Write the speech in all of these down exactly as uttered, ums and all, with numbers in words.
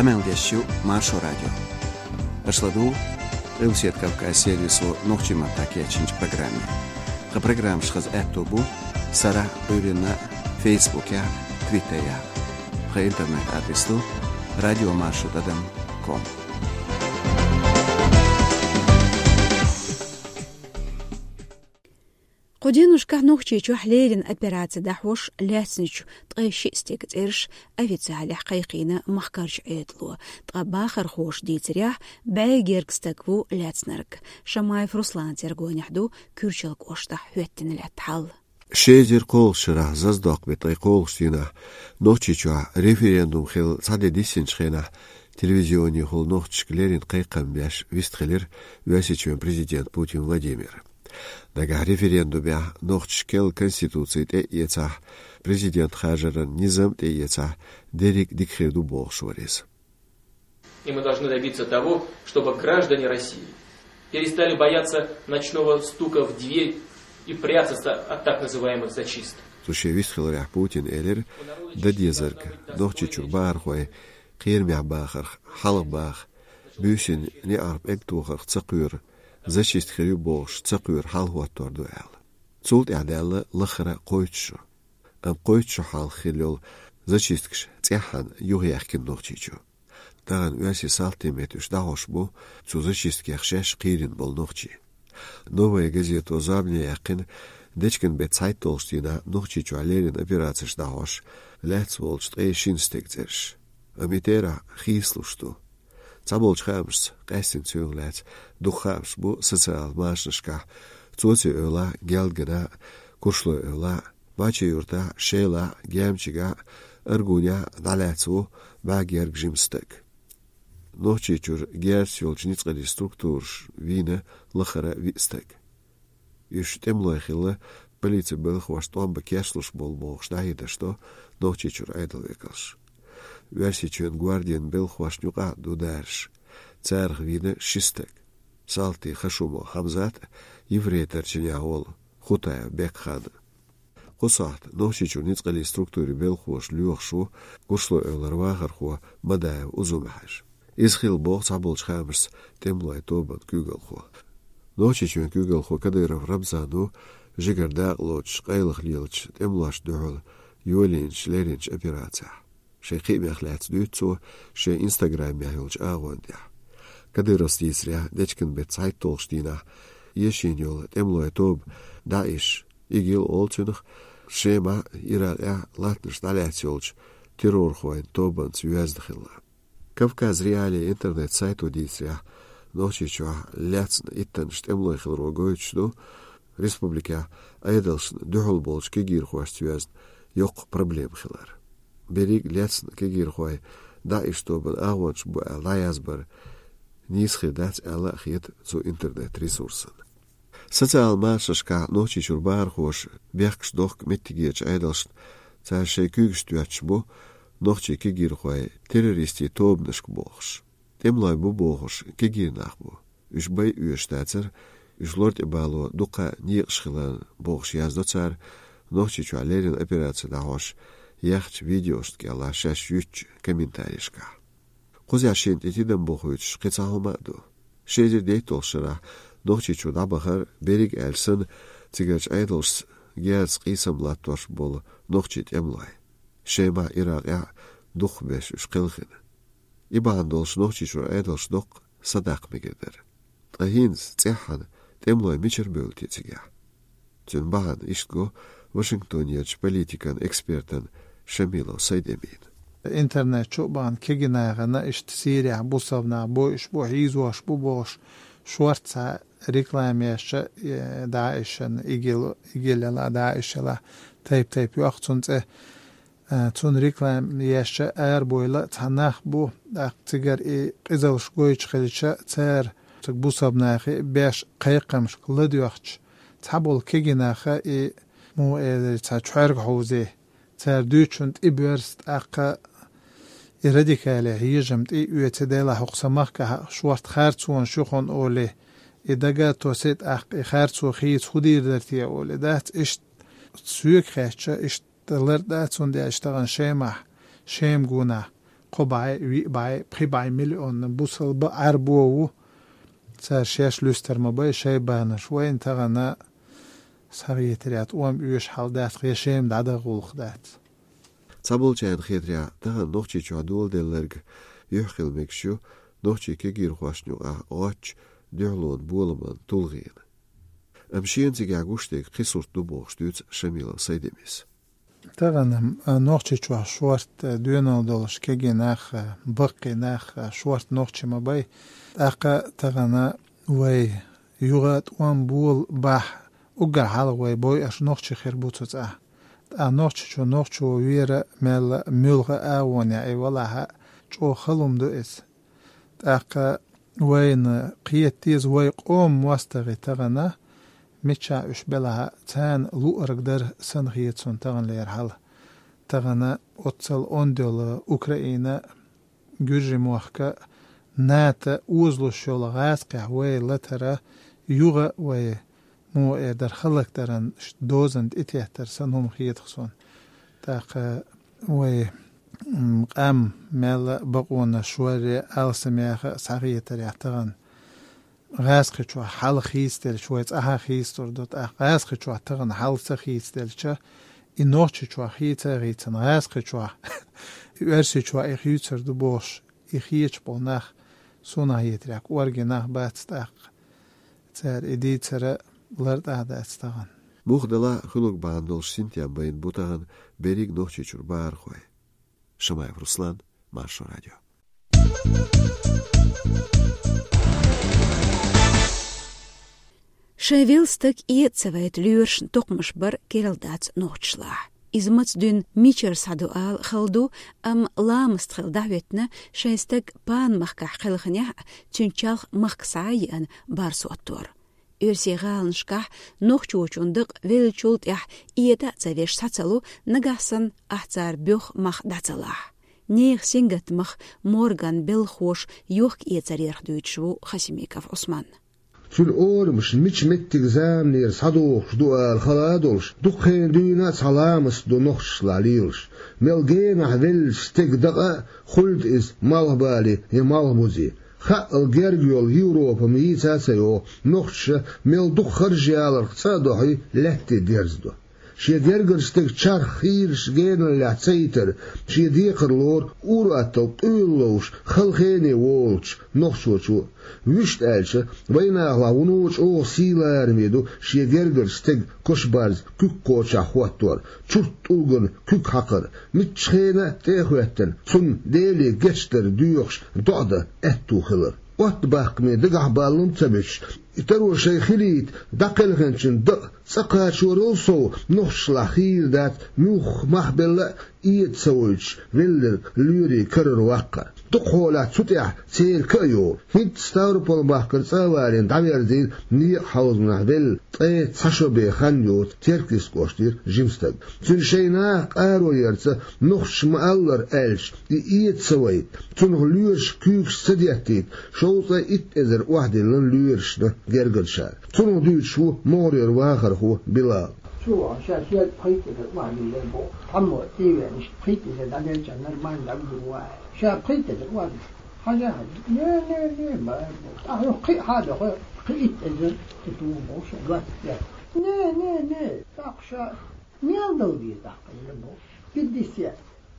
Къамел деш ю Маршо радио. Аша ладугӀу Къилбаседа Кавказ сервисо нохчийн маттахь кечйинчу программе. Тхан программаш хаза аьтто бу сарахь, Ӏуьйранна, Фейсбукехь, Твиттерехь. Тхан интернет-адрес ду радиомаршо тӀадам ком. Кху деношкахь Нохчийчохь леррина операци дӀахьош лаьцначу ткъе шиъ стеган цӀераш официалехь кхайкхийна махкарчу Ӏедало. Ткъа бахархоша дийцарехь, бӀе гергга стаг ву лаьцнарг. Шамаев Русланца гонах ду Куьрчал кӀоштахь хӀоьттина лаьтта хьал. Ши эзар кхоалгӀачу шарахь зазадоккху беттан ткъе кхоалгӀачу дийнахь Нохчийчохь референдум хилла цхьа де диссинчу хенахь телевизионехула нохчашка леррина кхайкхам беш вистхилира Оьрсийчоьнан президент Путин Владимир. Нагахь референдумехь нохчашка керла конституци тӀе а эцахь, президент хажаран низам а тӀе а эцахь, дерриг а дика хир ду бохуш вара иза. И мы должны добиться того, чтобы граждане России перестали бояться ночного стука в дверь и прятаться от так называемых зачисток. Цу шен вистхиларехь Путина элира, дан дезарг Нохчийчуьра бахархой кхерамехь бахарх хьалха баха, буьйсанна неӀарх пӀелг тохарх ца кхоьру, зачистка хир ю бохуш ца кхоьру хьалахӀоттор ду аьлла. Цул тӀаьхьа даьлла лаххара кхойтта шо. Амма кхойтта шо хьалха хилла йолу зачисткаш цӀеххьана юхаяьхкина Нохчийчу. Тахана оьрсийн салтийн меттан уьш дӀахьош бу цу зачисткех шаьш кхийрина болу нохчий. «Новая газета» зорбане яьккхина, дечкен беттан цхьайтталгӀачу дийнахь Нохчийчохь леррина операцеш дӀахьош лаьцна волчу ткъе шина стеган цӀераш. Амма и терахь хийцалуш ду. Цхьаболчу хаамашца, къаьсттина цуьнга лаьцна дукха хаамаш бу социал машанашкахь, Цоци-Эвлахь, Гелдгана, Куршлой-Эвлахь, Мачи-Юьртахь, Шелахь, Гемчигахь, Аргунехь дӀалаьцна ву бӀе гергга жима стаг. Нохчийчуьра герзаца йолчу ницкъаллин структураш вийна лаххара виъ стаг. Уьш тӀемалой хилла, полицин белхахошна тӀом бан кечлуш болу бохуш дӀахьедаш до Нохчийчуьра Ӏедалан векалша. Оьрсийчоьнан гвардин белхахошна юкъахь а ду дараш. Царах вийна ши стаг. Салтий Хашумов Хьамзат а, ефрейторчу чинехь волу Хутаев Бекхан а. Кху сохьта Нохчийчуьра ницкъаллин структурийн белхахоша лоьхуш ву Куршлой-Эвлара вахархо Мадаев Узун-Хьаьжа. Иза хилла боху цхьаболчу хаамашца тӀемалойн тобанан куьйгалхо. Нохчийчоьнан куьйгалхо Кадыров Рамзан ву жигара дакъа лоцуш къайлаха лелачу тӀемалошна дуьхьал йолийначу лерринчу операцехь. Шайн кхиамех лаьцна дуьйцу цо шен инстаграмехь йолчу агӀон тӀехь. Кадыровс дийцарехь, дечкен беттан цхьайтталгӀачу дийнахь эшийна йолу тӀемалойн тоба ДАИШ, ИГИЛ олу цунах, Шемахь, Иракъехь латтанаш дӀалаьцна йолчу террорхойн тобанца йоьзна хилла. «Кавказ.Реалии» интернет-сайто дийцарехь, Нохчийчохь лаьцна иттаннаш тӀемалой хиларо гойтуш ду, республикехь Ӏедалшна дуьхьал болчу кегийрхошца йоьзна йоккха проблема хилар. Берриг лаьцна кегийрхой ДАИШ тобанан агӀончаш бу аьлла дӀаязбар нийса хир дац аьлла а хета цу интернет-ресурсан. Социал машанашкахь Нохчийчуьра бахархоша бехкаш дохку меттигерчу Ӏедалшна, цара шайн куьйгаш доьттуш бу нохчийн кегийрхой террористийн тобанашка бохуш. ТӀемалой бу бохуш кегий нах бу. Уьш бай оьшуш дацара, уьш лор тӀе бало дуккха а некъаш хиларна бохуш яздо цара Нохчийчохь леррина операци дӀахьош яьхначу видеошна кӀелахь шаьш юьттучу комментарийшкахь. Кхузахь шена тӀе тидам бохуьйтуш кхин цхьа хӀума а ду. Ши эзар дейтталгӀачу шарахь Нохчийчу дӀабахара, берриг аьлча санна, цигарчу Ӏедалшца герзаца къийсам латтош болу нохчийн тӀемалой. Шемахь, Иракъехь дукхахберш уьш кхелхина. И бахьана долуш Нохчийчуьра Ӏедалш доккха садаккха мегар дара. Ткъа хӀинца цӀеххьана тӀемалой мичара бевлла те цигахь? Цуьнан бахьана иштта го Вашингтонерчу политикан экспертана Шамилов Сайд-Эмина. Интернет чу а бахана кегий нахана иштта Сирехь бусалба нах бойуш бу, хьийзош бу бохуш, шортта цхьа реклама еш, э, ДАИШан, ИГИЛ, ИГИЛ елахь, ДАИШ елахь, тайп-тайпа йоккху цунна цӀе. Э, цунна реклама еш арабойла цхьа нах бу, тӀаккха цигара и къизаллаш гойтуш хилча, цара цига бусалба нахе беш кхайкхамашка ладоьгӀча, цхьаболу кегий наха и, муха элира, цхьа чоьрга хьовзе. Цара дуьйцучунна тӀе боьрзу, тӀаккха и радикале хьежам тӀе а оьций, делахь хӀокху сан махкахь шортта харцонаш ю хьуна олий, и дага а тосий, тӀаккха и харцо хийца хӀун дийр дара те олий, дац иштта соьга хаьттича, иштта лар дац, цундела иштта тахана Шемахь, Шема гонахь кхо бӀаь, виъ бӀаь, пхи бӀаь миллион бусалба Ӏарбо ву. Цара шаьш луьстар ма бай шайбанаш. Вайна тахана схьахетарехь тӀом оьшу хьал дац, я шайна дӀадаха гӀуллакх дац. Цхьаболчарна хетарехь, тахана Нохчийчохь доладелларг юьхь хила мегаш ю нохчийн кегийрхошна юкъахь гӀоттачу дуьхьалонан боламан тулгӀенан. Амма шена цигахь гуш дерг кхин сурт ду бохуш дуьйцу Шамилов Сайдемис. Тахана, а, Нохчийчохь шорта, а, доьналла долуш кегий нах а, баккхий нах а шорта нохчий ма бай. ТӀаккха тахана вай юха тӀом бола бахь, уггар хьалха вай бойуш нохчий хир бу цу цӀахь. ТӀаккха Нохчийчу нохчо вера мелла а, муьлхха а агӀонехь и валахь а, чӀогӀа хала хӀума ду иза. ТӀаккха вайна кхета деза вай къоман мостагӀий тахана, мичахь уьш белахь а, царна луъург дар санна хета суна таханлера хьал. Тахана оццул онда йолу Украина, Гуьржийн мохк а, НАТО озалуш йолу гӀазкхехь вай латара юха а вай муха эр дара, халакдаран дозанна тӀететтар санна хӀума хета суна. ТӀаккха вай, м, къам мел а бакъонаш варре алсамеха а схьахетарехь тахана. ГӀазкхичохь хьал хийцаделча, вай цӀахь а хийцалур ду, тӀаккха гӀазкхичохь тахана хьал ца хийцаделча, и Нохчийчохь хийца а хийцина, гӀазкхичохь, и Оьрсийчохь и хийцар ду бохуш, и хеташ болу нах, суна хетарехь, кӀорггера нах бац тӀаккха. Цара и дийцар а лартӀахь дац тахана. Муха делахь а, хуьлург бахьана долуш синтем байна бу тахана берриг Нохчийчуьра бахархой. Шамаев Руслан, Маршо радио. Шайн велла стаг эца ца вайта лоьрашна токхамаш бар керла дац нохчашлахь. Иза маца дуьйна мичара схьаду ала хала ду, амма ламаст хила дӀахӀоьттина шайн стаг пана махкахь кхелхинехь а, цуьнан чалх махка схьа а еана, барс хӀоттор. Оьрсийн гӀаланашкахь нохчочун дакъа веллачул тӀаьхьа эта а ца веш схьа ца лу, нагахь санна ахь цара боьха мах дӀа ца лахь. Нехан сингаттамах морган белхахоша йохка-эцарх дуьйцуш ву Хасимиков Ӏусман. Цуьнан орамаш мича меттиг заманера схьадохуш ду ала хала а долуш, дукха хенахь дуьйна а цхьа ламаст ду нохчашлахь лелаш. Мел генахь веллачу стеган дакъа а хуьлда иза малхбале я малхбузе. Хаъал герга йолу Европа-м йийца а ца йогӀу, нохчаша мел дукха харж яларх цӀа а дохьий, лаьтте дерзадо. Шен гергарчу стеган чарх хийраш геналлехь ца йитар, шен декхар лору ур-атталла къуьйлалла ловш, хала хене волучу нохчочо. Вуьшта аьлча, вайнахалахь вуно чӀогӀа сий лараме ду шен гергарчу стеган кошабарз куьг кхочехь хӀоттор, чурт тӀулгана куьг хьакхар, муьлххачу хенахь а тӀе а хӀоьттина, цунна Деле гечдар доьхуш доӀа дан аьтту хилар. Оттабаккхаме дагахь баллалц ца буьтуш, и таро шайн хилийта дӀакхелхинчун дакъа цӀа кхачорал сов, нохчашлахь хийра дац муьлхха мах белла а эца ца войтуш велларг лоьрийн карара ваккхар. Дукхахьолахь цу тӀехь церан ка а йогӀу. ХӀинца Ставрополь-махкара цӀа а валийна дӀаверзийна некъан хьовзамехь велла, ткъе цхьа шо бен хан йоцу Теркйист кӀоштара жима стаг. Цуьнан шайн наха къаро ярца нохчаша ма-аллара аьлча, и эца ца вайта, цунах лоьраша куьйгаш ца деттийта, шовзткъе итт эзар охьадиллина лоьрашна гергарчара. Цунах дуьйцуш ву могӀарера вахархо Билал. Чу ван, ша шел пхийтта эзар охьадиллина боху. Цхьаммо цӀийвенаш пхийтта эзар дӀаделча нормально дӀагур ву аьлла. Ша пхийтта эзар охьадиллина. Хьажа, хьажа. Не, не, не, ма, ма. Ахьа кхин а хьада, хо, пхийтта эзар тӀе тугу боху ша, двадцать пять. Не, не, не. ТӀаккха ша мел дала деза тӀаккха, ила боху. Пятьдесят.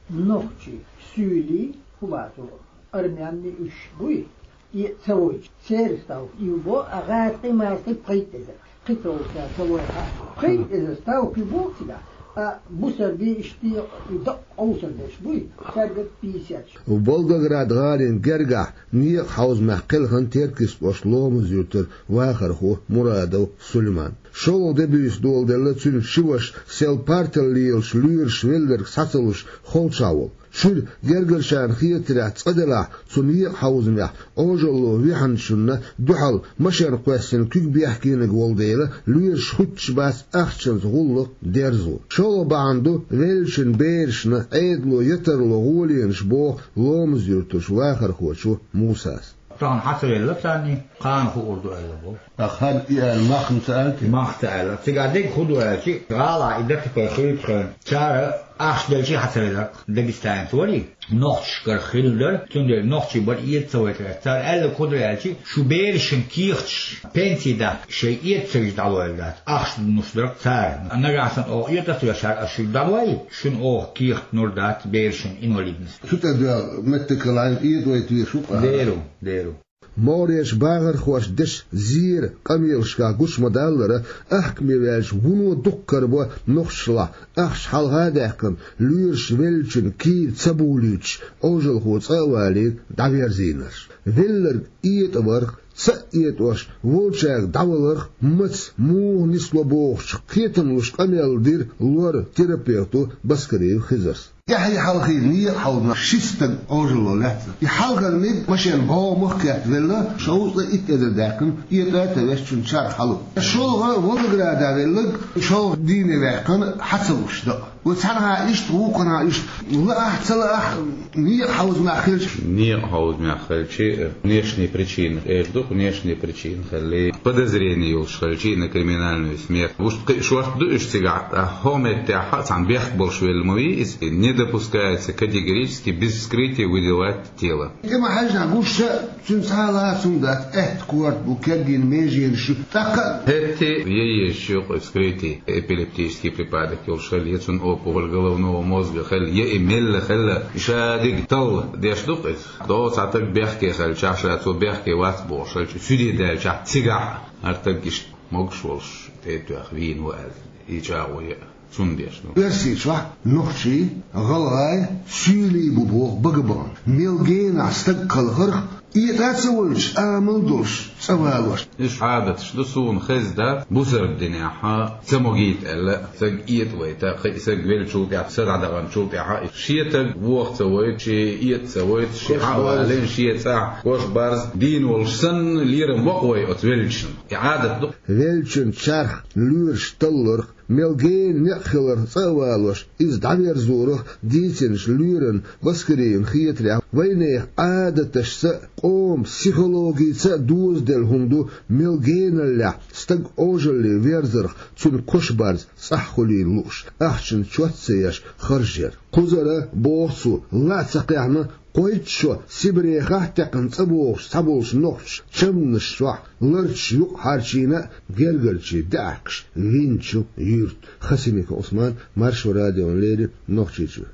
Нохчий, суьйлий, хӀун бацу, армянный уьш буй? И ца войчу, церан ставка ю бо, а гӀазкхий-маскхий пхийтта эзар. Кхин ца войчу, ца войхьа. Пхийтта эзар ставка ю боху цигахь, а бусалба иштта и дакъа къовсар деш буй, цаьрга пятьдесят. Волгоград гӀалин гергахь некъан хьовзамехь кхелхина Теркйист кӀоштан Ломаз-юьртара вахархо Мурадов Сулейман. ШолгӀа де буьйса доладелла цуьнан ши ваша сел партал лелаш лоьраш велларг схьа ца луш холчахь волу. Шуьра гергарчарна хетарехь цкъа делахь, цу некъан хьовзамехь Ӏожалло вихьначунна дуьхьал машен кхоьссина куьг бехкениг волу дела, лоьраш хуьттуш бац ахчанца гӀуллакх дерзо. ШолгӀа бахьана ду веллачун берашна Ӏедало я тарло гӀоленаш боху Ломаз-юьртарчу вахархочо Мусас. Тахана хьа ца велла царний, кхана хуур ду аьлла боху. Ткъа хӀара и аьлла, мах-м ца аьлла те? Мах ца аьлла. Цигахь дерг хӀун ду аьлча, гӀалахь и дакатепай хуьлучу хенахь, цара Ахча делчи хьацарелар Дагестанец вари, нохчашкара хилла дара, цундела нохчий бара эца ца вайтар. Цара аьлла кху дара аьлчи, шу берашин кехаташ пенсий дац, шай эца ца вижа дӀалойла дац. Ахча нуш дара цара. Нагахь санна оха эца ца веш, аш шу дӀалой, шуна оха кехат нур дац берашин инвалидность. Шу тӀа доьгӀа меттакалайн эдойт вешух. Деру, деру. МогӀарерчу бахархошна дечу зера къамелашкахь гуш ма-даллара, ахкаме ваьлча вуно дуккха карабо нохчашлахь ахча хьалха а даьккхина, лоьраш веллачун кийра ца булуьйтуш, Ӏожалхо цӀа а валийна дӀаверзийнарш. Велларг этӀа варх, ца а этӀош, волчаьрга дӀаваларх, маца, муха нисло бохучух кхетам луш къамел дира лор-терапевто Баскариев Хизарс. Тхье хьалхе некъа хьовзош ши стаг Ӏожалло лаьцна. И хьалхара мега машен бӀогӀамах кхетта велла, шовзткъе итт эзар даьккхина, этӀа а ца веш цуьнан чарх хьалу. ШолгӀа Волгограда велларг шолгӀа дийне ваьккхина, хьа ца луш даа. Вай цхьанхьа иштта, вукхунхьа иштта. Лаахь, ца лаахь, некъа хьовзамех хилча. Некъа хьовзамех хилчи, внешние причины, эр ду-кх, внешние причины хилли, подозрение йолуш хилчи на криминальную смерть. Уьш кхин а шорта ду уьш цигахь, ткъа хӀокху меттехь а цхьана бехк болуш велла ма вий иза, не допускается категорически без вскрытия выдавать тело. ТӀема хьаьжна гуш ша, цуьнан цхьа а лаца хӀума дац, аьтта корта бу, кегийна меженаш ю, тӀаккха а. ХӀетте а езаш ю-кх вскрытие, эпилептический припадок йолуш хилла, я цунна опухоль головного мозга хилла, я и мелла хилла, ша дерг талла деш ду-кх иза. Доцца стаг бехке хилчахь, ша цо бехке вац бохуш хилча, суьде даьлчахь, цигахь а хӀара стаг иштта могуш волуш тӀе а тоьхна вийна ву аьлла, и чӀагӀо ян. Цунна деш ду. Оьрсийчохь нохчий, гӀалгӀай суьйлий бу боху бага бахана. Мел генахь стаг кхалхарх, этӀа а ца войтуш, амал долуш, цӀа валош. Уьш Ӏадаташ ду, суна хезна дац, бусалба динехь а ца могийта аьлла, стаг этӀа вайта, кхин а стаг веллачул тӀаьхьа, са дӀадаханчул тӀаьхьа, шен стаг воха ца войту, шен этӀа ца войту, шен хьа а валийна, шен цӀахь кош-барз дийна волуш санна, лерам вакъа вай оцу веллачунна. И Ӏадат ду. Веллачун чарх, лоьраш талларх, мел гена некъ хиларх цӀа а валош, иза дӀаверзорах дийцинчу лоьран Баскариевн хетарехь, вайнехан Ӏадаташца а, къоман психологица а дозаделла хӀума ду, мел геналлехь стаг Ӏожалле верзарх, цуьнан кош-барз цӀахь хуьлийна лууш, ахчанан чот а ца еш, харж яр. Кхузара, боху цо, ла а ца кхехьна, кхойтта шо Сибрехахь а таьккхина цӀа богӀуш цхьаболчу нохчаша чамданаш чохь ларташ юкъахьарчийна а, гергарчийн даьӀахкаш винчу юьрта. Хасимиков Ӏусман, Маршо радиона леррина, Нохчийчоь.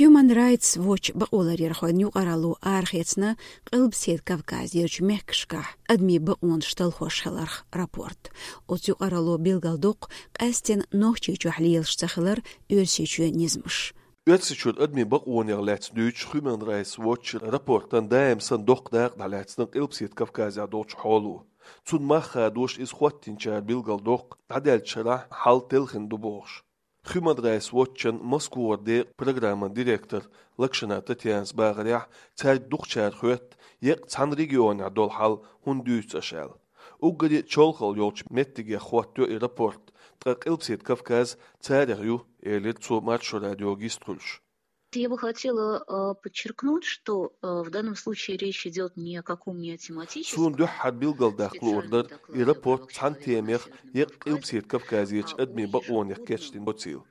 Human Rights Watch бакъоларъярхойн юкъаралло арахецна Къилбаседа Кавказерчу мехкашкахь адамийн бакъонаш талхош хиларх рапорт. Оцу юкъаралло билгалдоккху къаьсттина Нохчийчохь лелаш ца хилар Оьрсийчоьнан низамаш. Оьрсийчуьра адамийн бакъонех лаьцна дуьйцучу Human Rights Watch рапортан даим санна доккха дакъа дӀалаьцна Къилбаседа Кавказехь долчу хьоло. Цунна мах хадош, иза хӀоттийначара билгалдоккху дӀадаьллачу шарахь хьал телхина ду бохуш. Human Rights Watch-ан Москвара декъан программан директор Лакшина Татьянас бахарехь, цаьрга дукхачара хоьтту, еккъа цхьана регионехь долу хьал хӀунда дуьйцу аша аьлла. Уггаре а чолхалла йолчу меттигех хӀоттайо и рапорт, ткъа Къилбаседа Кавказ царех ю, элира цо Маршо радиога йистхуьлуш. Я бы хотела, а, подчеркнуть, что, а, в данном случае речь идёт ни о каком не о тематическом. Суна дуьххьара билгалдаккха луур дара, и рапорт цхьана темех, еккъа Къилбаседа Кавказерчу адамийн бакъонех кечдина доцийла.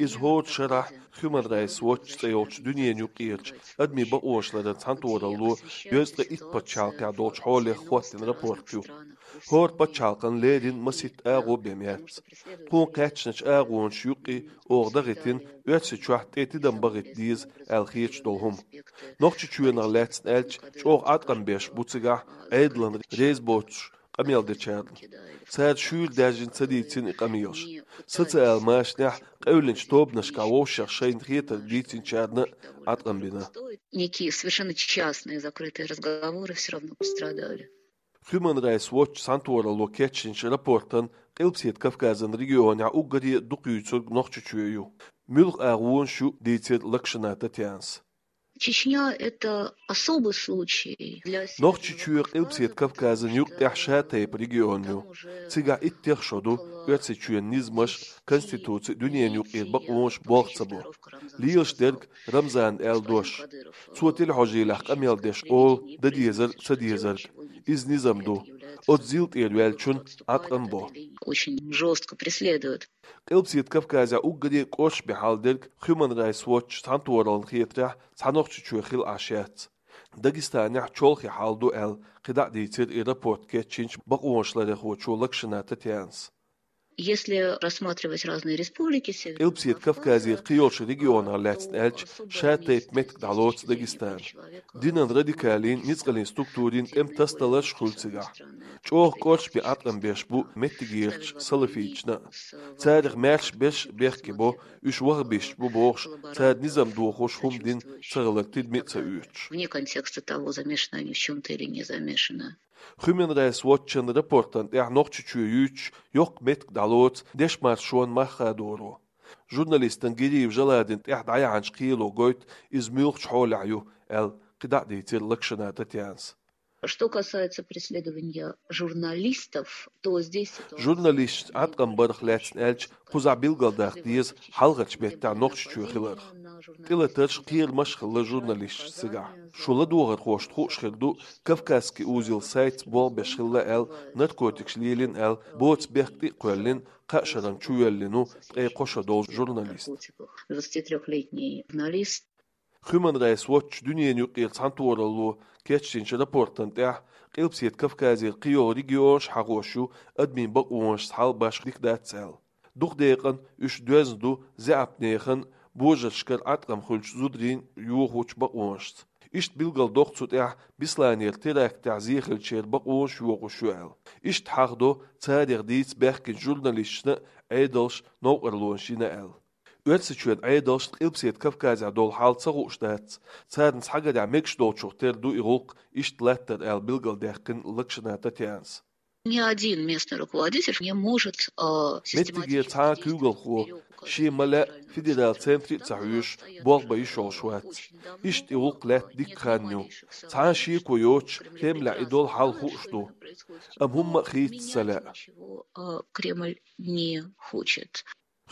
Иза хӀора шарахь Human Rights Watch цӀе йолчу дуьненан юкъерчу адамийн бакъонаш ларан цхьаьнатохаралло дезткъе итт пачхьалкхехь долчу хьолех хӀоттийна рапорт ю. ХӀора пачхьалкхана леррина масийтта агӀо бен яц. Тхуна кхаьчначу агӀонаш юккъе оха дахийтина Оьрсийчохь тӀе тидам бахийта деза аьлла хеташ долу хӀума. Нохчийчоьнах лаьцна аьлча, чӀогӀа Ӏаткъам беш бу цигахь Ӏедална реза боцуш къамел дечарна. Цара шуьйра даьржина ца дийцина и къамелаш. Социал машанехь къевлинчу тобанашкахь вовшех шайна хетарг дийцинчарна а Ӏаткъам бина. Некие совершенно частные закрытые разговоры всё равно пострадали. Human Rights Watch цхьаьнатохаралло кечйинчу рапортан Къилбаседа Кавказан регионехь уггаре а дукха юьйцург Нохчийчоь ю. Муьлха агӀонаш ю, дийцира Лакшина Татьянас. Чечня — это особый случай. Нохчийчоь Къилбаседа Кавказан юкъа тӀехь шатайпа регион ю. Цигахь иттех шо ду, Оьрсийчоьнан низамаш, конституци, дуьненан юкъера бакъонаш болх ца бо. Лелаш дерг Рамзана аьлла дош. Цо телехьожийлехь къамел деш олу дан дезарг а, ца дезарг а. Иза низам ду. Оцу зил тӀера ваьллачун Ӏаткъам бо. Очень жёстко преследуют. Къилбаседа Кавказехь уггаре а кӀоршаме хьал дерг Human Rights Watch цхьаьнатохараллин хетарехь цхьа Нохчийчоь хилла Ӏаш яц. Дагестанехь чолхе хьал ду аьлла, кхидӀа а дийцира и рапорт кечйинчу бакъонашларъярхочо Локшина Татьянас. Если рассматривать разные республики Северного Кавказа, Къилбаседа Кавказера кхийолчу регионах лаьцна аьлча, шатайпа меттиг дӀалоцу Дагестан. Динан радикалан, ницкъаллин структурийн тӀеман тасадаларш хуьлу цигахь. ЧӀогӀа кӀоршаме Ӏаткъам беш бу меттигерчу салафиташна а. Царах маьрша берш а бехке бо, уьш ваххабисташ бу бохуш, цара низам дохош хӀума дина цагалар тидаме а ца оьцуш. Вне контекста того, замешаны они в чём-то или не замешаны. Human Rights Watch-ан рапортана тӀехь Нохчийчоь юьйцуш йоккха меттиг дӀалоцу дешмаршонан мах хадоро. Журналистана Гириев Жаладина тӀехь дӀаяьхьначу кхело гойту иза муьлхачу хьолехь ю аьлла, кхидӀа а дийцира Локшина Татьянас. Что касается преследования журналистов, то здесь ситуация... Журналисташна Ӏаткъам барх лаьцна аьлча, кхузахь билгалдаккха деза хьалхарчу меттехь Нохчийчоь хиларх. ТӀелатарш, кхерамаш а хилла журналисташна цигахь. Шун ладогӀархошна хууш хир ду, Кавказский узел сайтца болх беш хилла аьлла, наркотикаш лелийна аьлла, боцу бехк тӀе а кхоьллина, кхаа шарна чувоьллина ву ткъе кхо шо долу журналист. Двадцатитрёхлетний журналист. Human Rights Watch дуьненаюкъара цхьаьнатохаралло кечдинчу рапортана тӀехь Къилбаседа Кавказера кхийолу регионаш хьахош ю адамийн бакъонашца хьал башха дика дац аьлла. Дукха декъана уьш доьзна ду заьӀапнехана, божаршкара Ӏаткъам хуьлучу зударийн йохочу бакъонашца. Иштта билгалдоккху цу тӀехь Бесланера терактехь зе хиллачеран бакъонаш йохош ю аьлла. Иштта хьахдо царех дийца баьхкинчу журналисташна а, Ӏедалшна а новкъарлонаш йина аьлла. Оьрсийчоьнан Ӏедалшна Къилбаседа Кавказехь долу хьал ца хууш дац, царна цхьагарехь мегаш долчух тера ду и гӀуллакх иштта латтар аьлла билгалдаьккхина Локшина Татьянас. Ни один местный руководитель не может, а, систематически... Меттигера цхьа а куьйгалхо, шен ма-лаьа федералан центре а ца хьоьжуш, болх бан йиш йолуш вац. Иштта и гӀуллакх лаьтта дикка хан ю. Цхьа а шеко йоцуш, Кремлехь и долу хьал хууш ду. Амма хӀумма а хийца ца лаьа. Ничего, а, Кремль не хочет.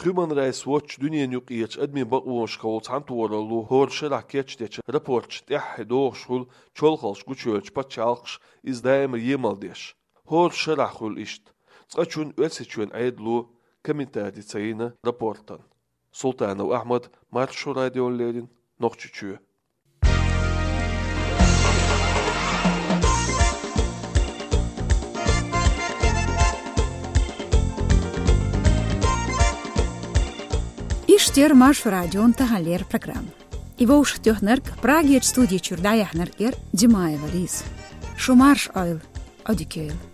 Human Rights Watch дуьненаюкъарчу адамийн бакъонашкахула цхьаьнатохаралло хӀора шарахь кечдечу рапортаца тӀаьххье догӀуш хуьлу чолхаллаш гучуйолчу пачхьалкхаша иза даимар емал деш. ХӀора шарахь хуьлу иштта. Цкъачунна Оьрсийчоьнан Ӏедало комментари ца йина рапортана. Султанов Ахьмад, Маршо радиона леррина, Нохчийчоь. Иштта яра Маршо радион таханлера программа. И вовшахтоьхнарг, Прагерчу студи чуьра дӀаяьхьнарг яра Димаева Лиза. Шу марша Ӏойла, Ӏодика йойла.